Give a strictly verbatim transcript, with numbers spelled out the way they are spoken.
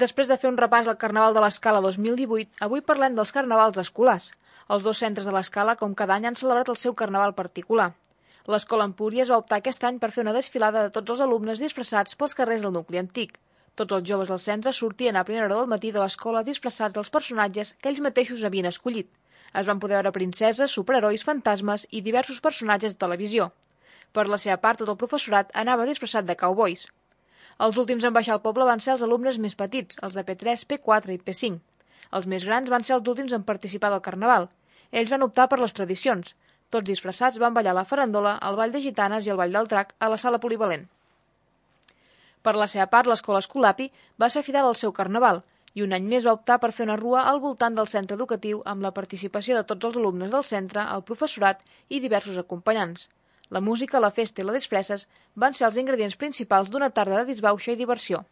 Després de fer un repàs al Carnaval de l'Escala dos mil divuit, avui parlem dels carnavals escolars. Els dos centres de l'Escala, com cada any, han celebrat el seu carnaval particular. L'Escola Empúries va optar aquest any per fer una desfilada de tots els alumnes disfressats pels carrers del nucli antic. Tots els joves del centre sortien a primera hora del matí de l'escola disfressats dels personatges que ells mateixos havien escollit. Es van poder veure princeses, superherois, fantasmes i diversos personatges de televisió. Per la seva part, tot el professorat anava disfressat de cowboys. Els últims en baixar al poble van ser els alumnes més petits, els de P tres, P quatre i P cinc. Els més grans van ser els últims en participar del carnaval. Ells van optar per les tradicions. Tots disfressats van ballar la farandola, el ball de gitanes i el ball del drac a la sala polivalent. Per la seva part, l'escola Escolapi va ser fidel al seu carnaval i un any més va optar per fer una rua al voltant del centre educatiu amb la participació de tots els alumnes del centre, el professorat i diversos acompanyants. La música, la festa i les disfresses van ser els ingredients principals d'una tarda de disbauxa i diversió.